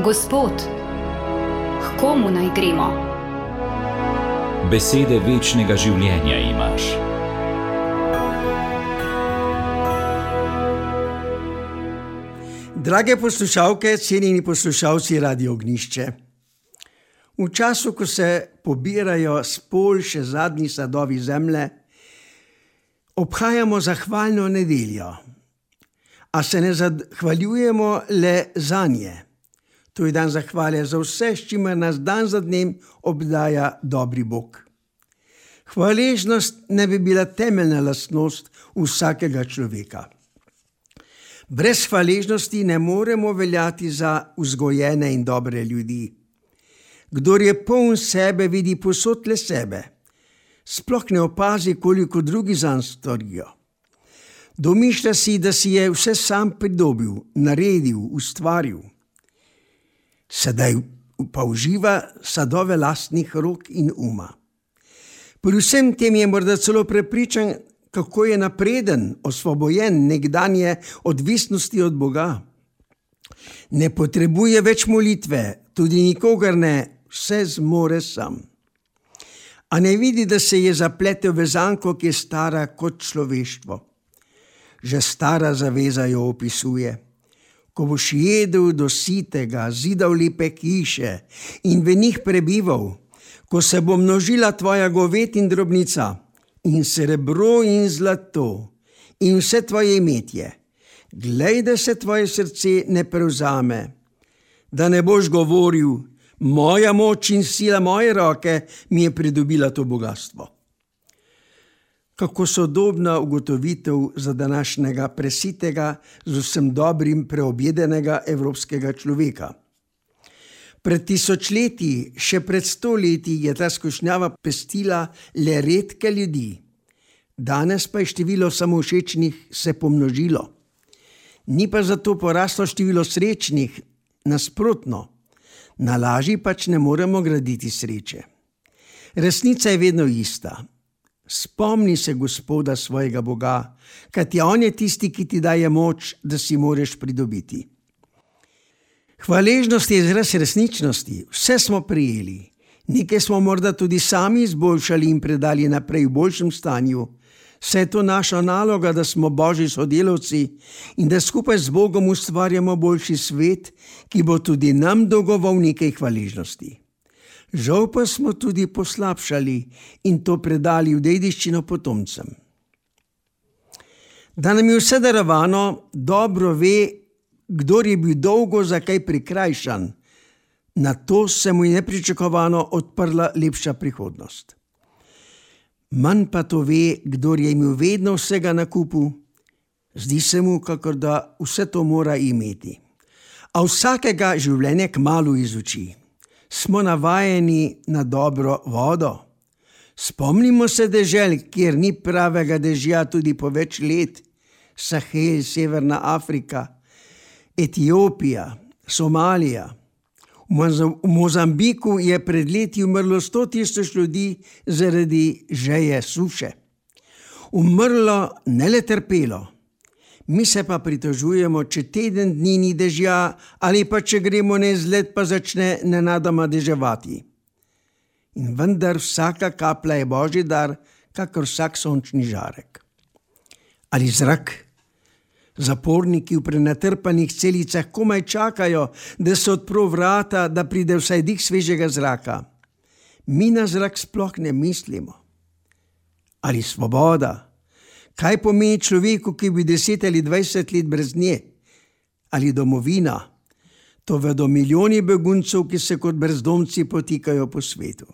Gospod, k komu naj gremo? Besede večnega življenja imaš. Drage poslušalke, cenjeni poslušalci Radio Ognjišče. V času, ko se pobirajo s polj še zadnji sadovi zemlje, obhajamo zahvalno nedeljo, a se ne zahvaljujemo le zanje. To je dan zahvale za vse, s čimer nas dan za dnem obdaja dobri Bog. Hvaležnost ne bi bila temeljna lastnost vsakega človeka. Brez hvaležnosti ne moremo veljati za vzgojene in dobre ljudi. Kdor je poln sebe, vidi povsod le sebe. Sploh ne opazi, koliko drugi zanj storijo. Domišlja si, da si je vse sam pridobil, naredil, ustvaril. Sedaj pa uživa sadove lastnih rok in uma. Pri vsem tem je morda celo prepričan, kako je napreden, osvobojen nekdanje odvisnosti od Boga. Ne potrebuje več molitve, tudi nikogar ne, vse zmore sam. A ne vidi, da se je zapletel v zanko, ki je stara kot človeštvo. Že stara zaveza jo opisuje. Ko boš jedel do sitega, zidal lepe hiše in v njih prebival, ko se bo množila tvoja goved in drobnica, in srebro in zlato, in vse tvoje imetje, glej, da se tvoje srce ne prevzame, da ne boš govoril, moja moč in sila moje roke mi je pridobila to bogastvo. Kako sodobna ugotovitev za današnjega presitega, z vsem dobrim preobjedenega evropskega človeka. Pred tisočletji, še pred 100 leti je ta skušnjava pestila le redke ljudi. Danes pa je število samovšečnih se pomnožilo. Ni pa zato poraslo število srečnih, nasprotno. Na laži pač ne moremo graditi sreče. Resnica je vedno ista. Spomni se Gospoda svojega Boga, kajti on je tisti, ki ti daje moč, da si moreš pridobiti. Hvaležnost je izraz resničnosti, vse smo prijeli. Nekaj smo morda tudi sami izboljšali in predali naprej v boljšem stanju. Vse je to naša naloga, da smo Božji sodelavci in da skupaj z Bogom ustvarjamo boljši svet, ki bo tudi nam dolgoval nekaj hvaležnosti. Žal pa smo tudi poslabšali in to predali v dediščino potomcem. Da nam je vse darovano, dobro ve, kdor je bil dolgo za kaj prikrajšan, na to se mu je nepričakovano odprla lepša prihodnost. Manj pa to ve, kdor je imel vedno vsega na kupu, zdi se mu, kakor da vse to mora imeti. A vsakega življenje kmalu izuči. Smo navajeni na dobro vodo. Spomnimo se dežel, kjer ni pravega dežja tudi po več let. Sahel, Severna Afrika, Etiopija, Somalija. V Mozambiku je pred leti umrlo 100 000 ljudi zaradi žeje suše. Umrlo, ne le trpelo. Mi se pa pritožujemo, če teden dni ni dežja ali pa če gremo na izlet, pa začne nenadoma deževati. In vendar vsaka kaplja je Božji dar, kakor vsak sončni žarek. Ali zrak? Zaporniki v prenatrpanih celicah komaj čakajo, da se odpro vrata, da pride vsaj dih svežega zraka. Mi na zrak sploh ne mislimo. Ali svoboda? Kaj pomeni človeku, ki bi 10 ali 20 let brez nje? Ali domovina? To vedo milijoni beguncev, ki se kot brezdomci potikajo po svetu.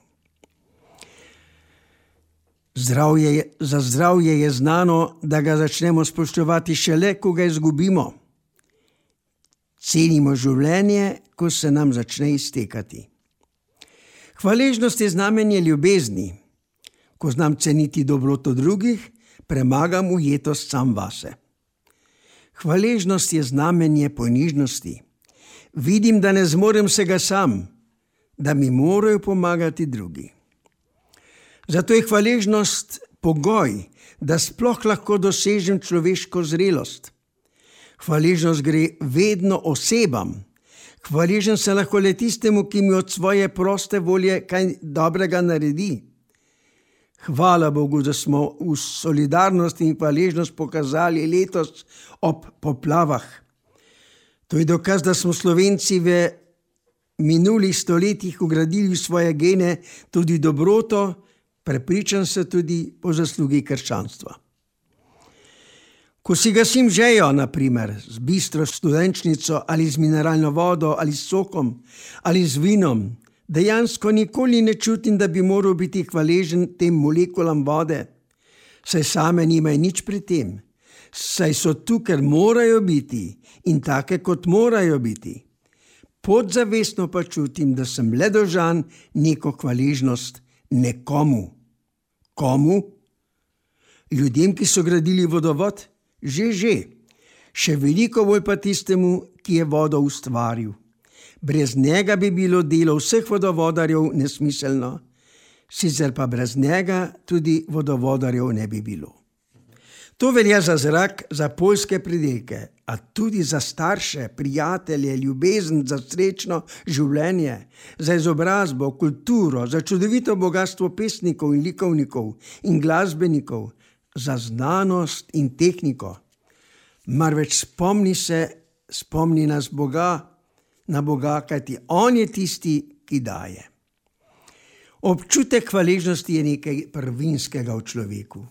Za zdravje je znano, da ga začnemo spoštovati šele, ko ga izgubimo. Cenimo življenje, ko se nam začne iztekati. Hvaležnost je znamenje ljubezni. Ko znam ceniti dobroto drugih, premagam ujetost sam vase. Hvaležnost je znamenje ponižnosti. Vidim, da ne zmorem vsega sam, da mi morajo pomagati drugi. Zato je hvaležnost pogoj, da sploh lahko dosežem človeško zrelost. Hvaležnost gre vedno osebam. Hvaležen sem lahko le tistemu, ki mi od svoje proste volje kaj dobrega naredi. Hvala Bogu, da smo v solidarnost in hvaležnost pokazali letos ob poplavah. To je dokaz, da smo Slovenci v minulih stoletjih ugradili v svoje gene tudi dobroto, prepričan se tudi po zaslugi krščanstva. Ko si gasim žejo, na primer, z bistro studenčnico ali z mineralno vodo ali s sokom ali z vinom, dejansko nikoli ne čutim, da bi moral biti hvaležen tem molekulam vode, saj same nimajo nič pri tem, saj so tu, ker morajo biti in take, kot morajo biti. Podzavestno pa čutim, da sem le dolžan neko hvaležnost nekomu. Komu? Ljudem, ki so gradili vodovod? Že. Še veliko bolj pa tistemu, ki je vodo ustvaril. Brez njega bi bilo delo vseh vodovodarjev nesmiselno, sicer pa brez njega tudi vodovodarjev ne bi bilo. To velja za zrak, za poljske pridelke, a tudi za starše, prijatelje, ljubezen, za srečno življenje, za izobrazbo, kulturo, za čudovito bogastvo pesnikov in likovnikov in glasbenikov, za znanost in tehniko. Marveč spomni nas na Boga, kajti On je tisti, ki daje. Občutek hvaležnosti je nekaj prvinskega v človeku.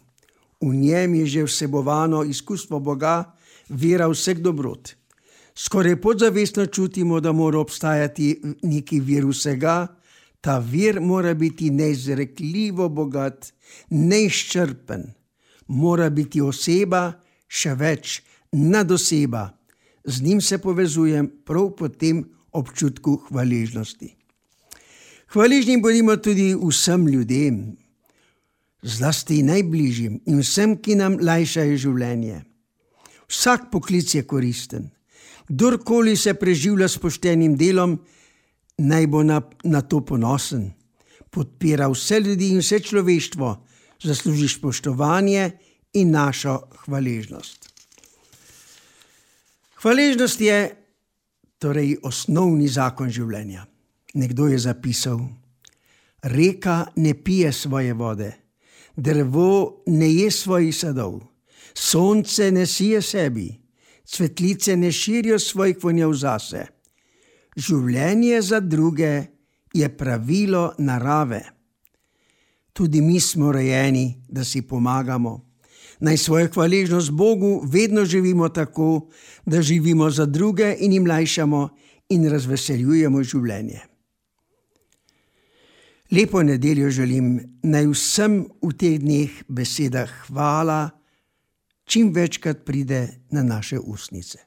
V njem je že vsebovano izkustvo Boga, vera vseh dobrot. Skoraj podzavestno čutimo, da mora obstajati neki vir vsega, ta vir mora biti neizrekljivo bogat, neizčrpen, mora biti oseba, še več, nadoseba. Z njim se povezujem prav po tem občutku hvaležnosti. Hvaležni bodimo tudi vsem ljudem, zlasti najbližjim in vsem, ki nam lajšajo življenje. Vsak poklic je koristen. Kdorkoli se preživlja s poštenim delom, naj bo na to ponosen. Podpira vse ljudi in vse človeštvo, zasluži spoštovanje in našo hvaležnost. Hvaležnost je torej osnovni zakon življenja. Nekdo je zapisal: reka ne pije svoje vode, drevo ne je svojih sadov, sonce ne sije sebi, cvetlice ne širijo svojih vonjav zase. Življenje za druge je pravilo narave. Tudi mi smo rojeni, da si pomagamo. Naj svojo hvaležnost Bogu vedno živimo tako, da živimo za druge in jim lajšamo in razveseljujemo življenje. Lepo nedeljo želim, naj vsem v teh dneh beseda hvala čim večkrat pride na naše ustnice.